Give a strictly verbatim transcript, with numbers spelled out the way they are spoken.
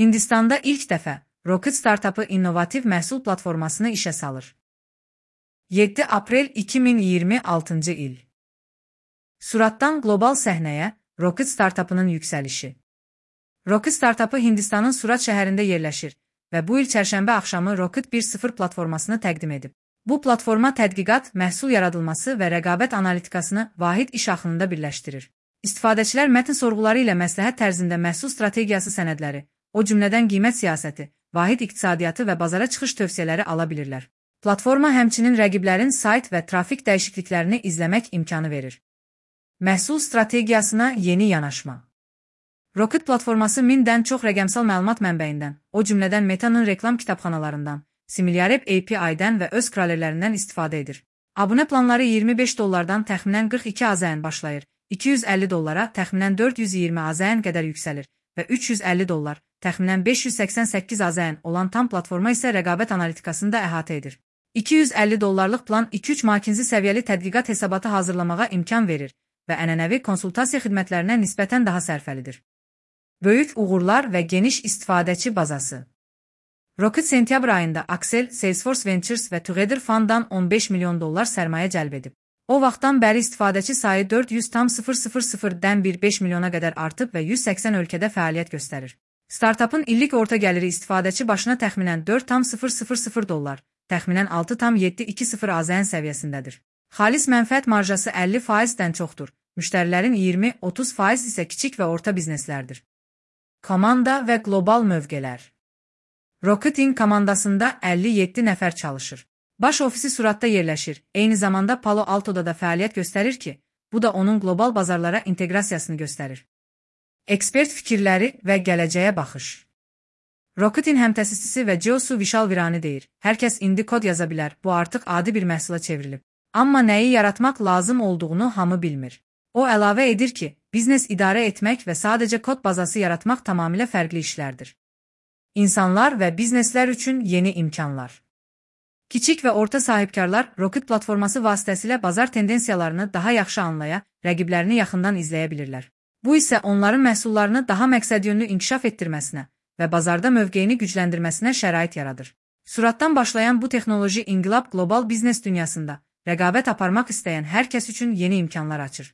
Hindistanda ilk dəfə Rocket startapı innovativ məhsul platformasını işə salır. yeddi aprel iki min iyirmi altıncı il. Suratdan qlobal səhnəyə Rocket startapının yüksəlişi. Rocket startapı Hindistanın Surat şəhərində yerləşir və bu il çərşənbə axşamı Rocket bir nöqtə sıfır platformasını təqdim edib. Bu platforma tədqiqat, məhsul yaradılması və rəqabət analitikasını vahid iş axınında birləşdirir. İstifadəçilər mətn sorğuları ilə məsləhət tərzində məhsul strategiyası sənədləri, o cümlədən qiymət siyasəti, vahid iqtisadiyyatı və bazara çıxış tövsiyələri ala bilirlər. Platforma həmçinin rəqiblərin sayt və trafik dəyişikliklərini izləmək imkanı verir. Məhsul strategiyasına yeni yanaşma. Rocket platforması mindən çox rəqəmsal məlumat mənbəyindən, o cümlədən Meta'nın reklam kitabxanalarından, Similarweb A P I-dən və öz kralerlərindən istifadə edir. Abunə planları iyirmi beş dollardan təxminən qırx iki AZN başlayır, iki yüz əlli dollara təxminən dörd yüz iyirmi AZN qədər yüksəlir və üç yüz əlli dollar, təxminən beş yüz səksən səkkiz AZN olan tam platforma isə rəqabət analitikasını da əhatə edir. iki yüz əlli dollarlıq plan iki üç makinzi səviyyəli tədqiqat hesabatı hazırlamağa imkan verir və ənənəvi konsultasiya xidmətlərinə nisbətən daha sərfəlidir. Böyük uğurlar və geniş istifadəçi bazası. Rocket sentyabr ayında Accel, Salesforce Ventures və Together Fund'dan on beş milyon dollar sərmayə cəlb edib. O vaxtdan bəri istifadəçi sayı dörd yüz min beş milyona qədər artıb və yüz səksən ölkədə fəaliyyət göstərir. Startapın illik orta gəliri istifadəçi başına təxminən dörd min dollar, təxminən altı min yeddi yüz iyirmi AZN səviyyəsindədir. Xalis mənfəət marjası əlli faizdən çoxdur, müştərilərin iyirmi otuz faiz isə kiçik və orta bizneslərdir. Komanda və qlobal mövqelər. Rocketin komandasında əlli yeddi nəfər çalışır. Baş ofisi Suratda yerləşir, eyni zamanda Palo Alto'da da fəaliyyət göstərir ki, bu da onun qlobal bazarlara inteqrasiyasını göstərir. Ekspert fikirləri və gələcəyə baxış. Rocketin həmtəsisçisi və Josu Vishal Virani deyir, hər kəs indi kod yaza bilər, bu artıq adi bir məhsula çevrilib. Amma nəyi yaratmaq lazım olduğunu hamı bilmir. O əlavə edir ki, biznes idarə etmək və sadəcə kod bazası yaratmaq tamamilə fərqli işlərdir. İnsanlar və bizneslər üçün yeni imkanlar. Kiçik və orta sahibkarlar Rocket platforması vasitəsilə bazar tendensiyalarını daha yaxşı anlaya, rəqiblərini yaxından izləyə bilirlər. Bu isə onların məhsullarını daha məqsədyönlü inkişaf etdirməsinə və bazarda mövqeyini gücləndirməsinə şərait yaradır. Suratdan başlayan bu texnoloji inqilab qlobal biznes dünyasında rəqabət aparmaq istəyən hər kəs üçün yeni imkanlar açır.